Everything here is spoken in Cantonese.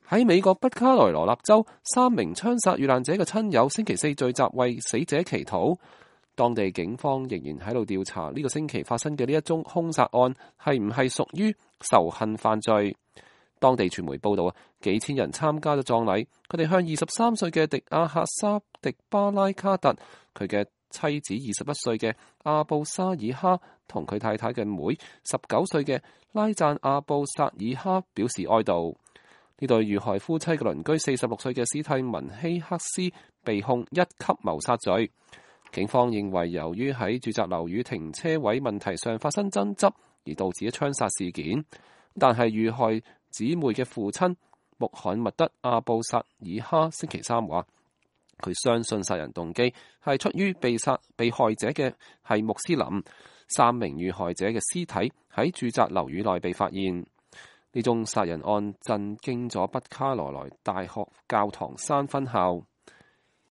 喺美國北卡羅來納州，3名槍殺遇難者嘅親友星期四聚集為死者祈禱。當地警方仍然喺度調查呢個星期發生嘅呢一宗兇殺案係唔係屬於仇恨犯罪。當地傳媒報道幾千人參加咗葬禮，佢哋向23歲嘅迪亞克沙迪巴拉卡特、佢嘅妻子21歲嘅阿布沙爾哈同佢太太嘅妹19歲嘅拉贊阿布薩爾哈表示哀悼。呢對遇害夫妻嘅鄰居46歲嘅史蒂文希克斯被控1級謀殺罪。警方認為由於喺住宅樓宇停車位問題上發生爭執而導致槍殺事件，但係遇害姊妹嘅父親穆罕默德阿布薩爾哈星期三話，佢相信殺人動機係出於被害者嘅係穆斯林。3名遇害者嘅屍體喺住宅樓宇內被發現。呢宗殺人案震驚咗北卡羅來大學教堂山分校。